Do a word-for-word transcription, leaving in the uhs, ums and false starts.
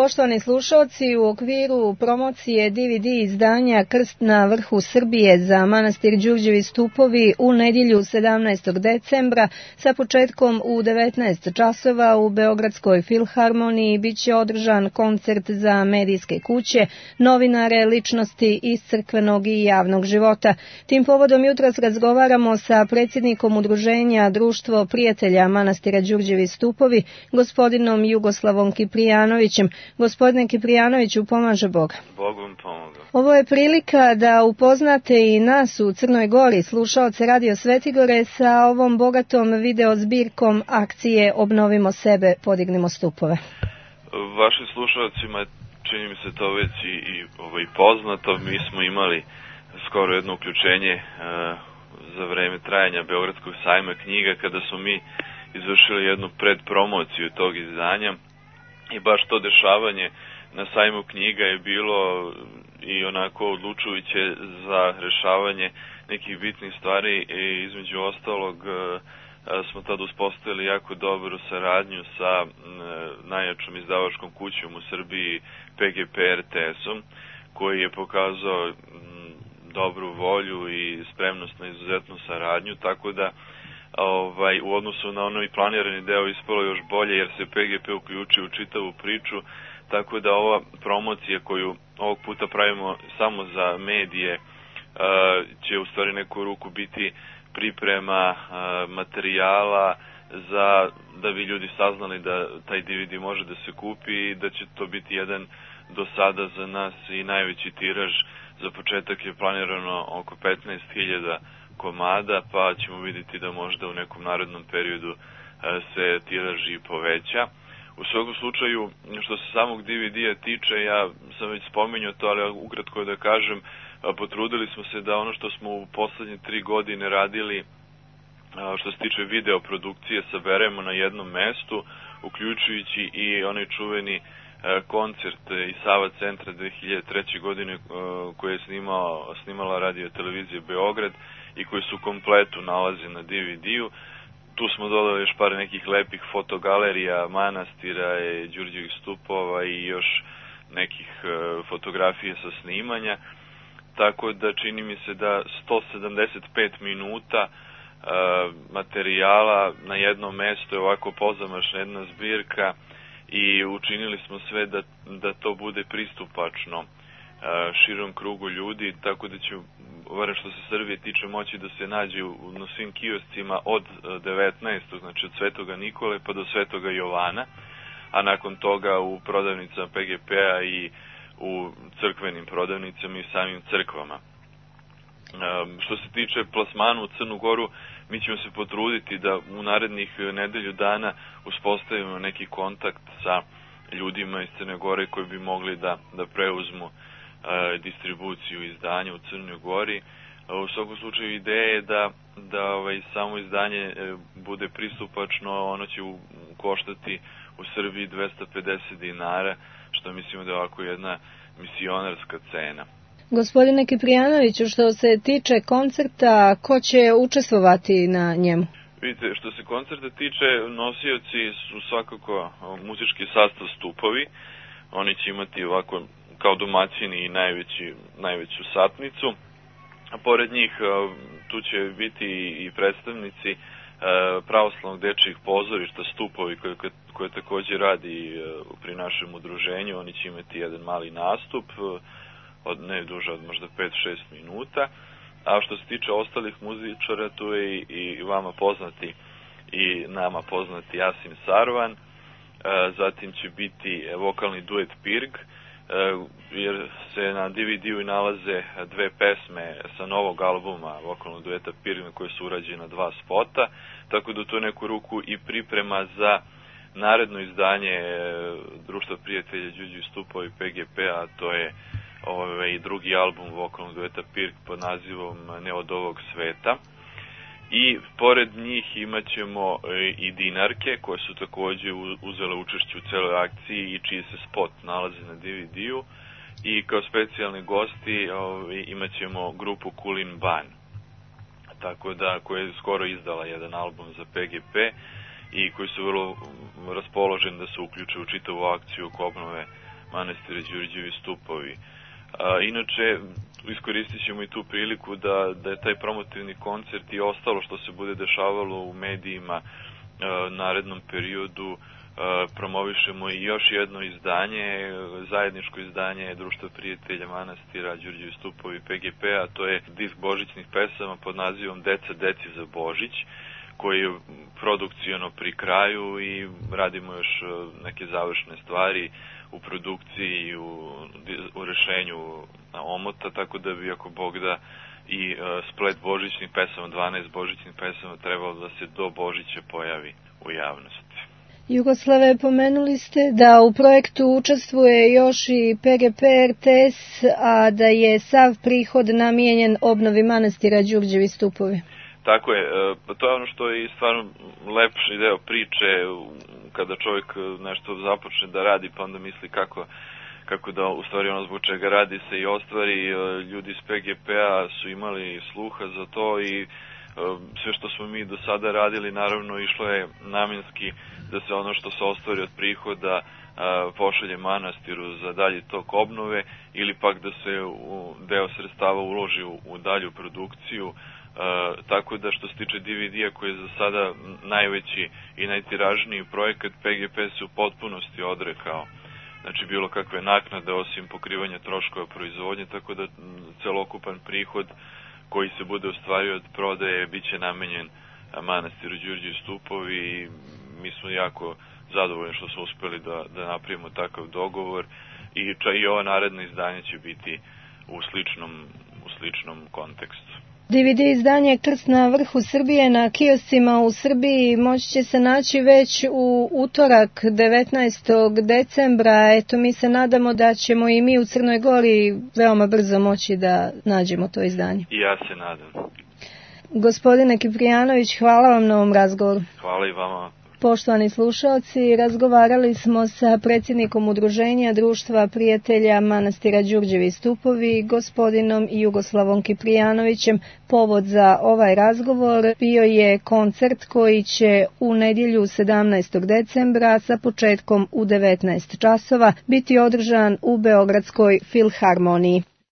Poštovani slušalci, u okviru promocije D V D izdanja Krst na vrhu Srbije za manastir Đurđevi stupovi u nedjelju sedamnaestog decembra sa početkom u devetnaest časova u Beogradskoj filharmoniji biće održan koncert za medijske kuće, novinare, ličnosti iz crkvenog i javnog života. Tim povodom jutros razgovaramo sa predsjednikom udruženja Društvo prijatelja manastira Đurđevi stupovi, gospodinom Jugoslavom Kiprijanovićem. Gospodine Kiprijanoviću, pomaže Bog. Bog vam pomoga. Ovo je prilika da upoznate i nas u Crnoj Gori, slušaoce Radio Svetigore, sa ovom bogatom video zbirkom akcije Obnovimo sebe, podignimo stupove. Vašim slušalcima čini mi se to već i, i ovaj, poznato. Mi smo imali skoro jedno uključenje e, za vreme trajanja Beogradskog sajma knjiga, kada smo mi izvršili jednu predpromociju tog izdanja. I baš to dešavanje na sajmu knjiga je bilo i onako odlučujuće za rešavanje nekih bitnih stvari i između ostalog smo tada uspostavili jako dobru saradnju sa najjačom izdavačkom kućom u Srbiji P G P R T S-om, koji je pokazao dobru volju i spremnost na izuzetnu saradnju, tako da Ovaj, u odnosu na onaj planirani deo ispalo još bolje, jer se P G P uključio u čitavu priču, tako da ova promocija koju ovog puta pravimo samo za medije će u stvari neku ruku biti priprema materijala za da bi ljudi saznali da taj D V D može da se kupi i da će to biti jedan do sada za nas i najveći tiraž. Za početak je planirano oko petnaest hiljada komada, pa ćemo vidjeti da možda u nekom narednom periodu se tiraž i poveća. U svakom slučaju, što se samog D V D-a tiče, ja sam već spomenuo to, ali ukratko da kažem, potrudili smo se da ono što smo u poslednje tri godine radili, što se tiče video produkcije, saberemo na jednom mestu, uključujući i onaj čuveni koncert iz Sava centra dve hiljade treće. godine koje je snimao, snimala radio televizija Beograd i koji su kompletu nalazi na D V D-u. Tu smo dodali još par nekih lepih fotogalerija manastira, Đurđevih stupova i još nekih fotografija sa snimanja. Tako da čini mi se da sto sedamdeset pet minuta materijala na jednom mestu je ovako pozamašna jedna zbirka i učinili smo sve da, da to bude pristupačno širom krugu ljudi, tako da će, barem što se Srbije tiče, moći da se nađe na svim kioscima od devetnaestog znači od Svetoga Nikole pa do Svetoga Jovana, a nakon toga u prodavnicama P G P-a i u crkvenim prodavnicama i samim crkvama. Što se tiče plasmana u Crnu Goru, mi ćemo se potruditi da u narednih nedelju dana uspostavimo neki kontakt sa ljudima iz Crne Gore koji bi mogli da, da preuzmu e, distribuciju izdanja u Crnoj Gori. U svakom slučaju ideja je da, da ovaj, samo izdanje e, bude pristupačno, ono će u, koštati u Srbiji dvesta pedeset dinara, što mislimo da je ovako jedna misionarska cena. Gospodine Kiprijanoviću, što se tiče koncerta, ko će učestvovati na njemu? Vidite, što se koncerta tiče, nosioci su svakako muzički sastav Stupovi. Oni će imati ovako kao domaćini i najveći, najveću satnicu. A pored njih tu će biti i predstavnici pravoslavnog dečijih pozorišta Stupovi koje, koje također radi pri našem udruženju. Oni će imati jedan mali nastup od ne duže od možda pet do šest minuta, a što se tiče ostalih muzičara, tu je i, i vama poznati i nama poznati Jasim Sarvan, e, zatim će biti vokalni duet Pirg, e, jer se na D V D-u nalaze dve pesme sa novog albuma vokalnog dueta Pirg na koje su urađena dva spota, tako da to je neku ruku i priprema za naredno izdanje Društva prijatelja Đurđevi stupovi P G P, a to je ovaj drugi album vokalnog dueta Pirg pod nazivom Ne od ovog sveta. I pored njih imat ćemo i Dinarke koje su također uzele učešće u celoj akciji i čiji se spot nalazi na D V D-u. I kao specijalni gosti ovaj, imat ćemo grupu Kulin Ban, tako da, koja je skoro izdala jedan album za P G P i koji su vrlo raspoloženi da se uključe u čitavu akciju oko obnove manastira Đurđevi stupovi. A, inače, iskoristit ćemo i tu priliku da, da je taj promotivni koncert i ostalo što se bude dešavalo u medijima a, narednom periodu promovišemo i još jedno izdanje, zajedničko izdanje Društva prijatelja manastira Đurđevi stupovi P G P, a to je disk božićnih pesama pod nazivom Deca deci za Božić, koji je produkcijno pri kraju i radimo još neke završne stvari u produkciji i u, u rešenju omota, tako da bi ako Bog da i splet božićnih pesama, dvanaest božićnih pesama, trebalo da se do Božića pojavi u javnosti. Jugoslave, pomenuli ste da u projektu učestvuje još i P G P R T S, a da je sav prihod namijenjen obnovi manastira Đurđevi stupovi. Tako je, to je ono što je stvarno lepši deo priče, kada čovjek nešto započne da radi, pa onda misli kako, kako da u stvari ono zbog čega radi se i ostvari. Ljudi iz P G P-a su imali sluha za to i sve što smo mi do sada radili, naravno išlo je namjenski da se ono što se ostvari od prihoda a, pošalje manastiru za dalji tok obnove ili pak da se u deo sredstava uloži u, u dalju produkciju. A, tako da što se tiče D V D-a koji je za sada najveći i najtiražniji projekat, P G P se u potpunosti odrekao. Znači bilo kakve naknade osim pokrivanja troškova proizvodnje, tako da celokupan prihod koji se bude ostvario od prodaje biće namenjen manastiru Đurđevi stupovi i mi smo jako zadovoljni što smo uspeli da, da napravimo takav dogovor i, ča, i ova naredna izdanja će biti u sličnom, u sličnom kontekstu. D V D izdanje Krst na vrhu Srbije na kioscima u Srbiji moći će se naći već u utorak devetnaestog decembra. Eto, mi se nadamo da ćemo i mi u Crnoj Gori veoma brzo moći da nađemo to izdanje. I ja se nadam. Gospodine Kiprijanović, hvala vam na ovom razgovoru. Hvala i vama. Poštovani slušalci, razgovarali smo sa predsjednikom Udruženja Društva prijatelja manastira Đurđevi stupovi, gospodinom Jugoslavom Kiprijanovićem. Povod za ovaj razgovor bio je koncert koji će u nedjelju sedamnaestog decembra sa početkom u devetnaest časova biti održan u Beogradskoj filharmoniji.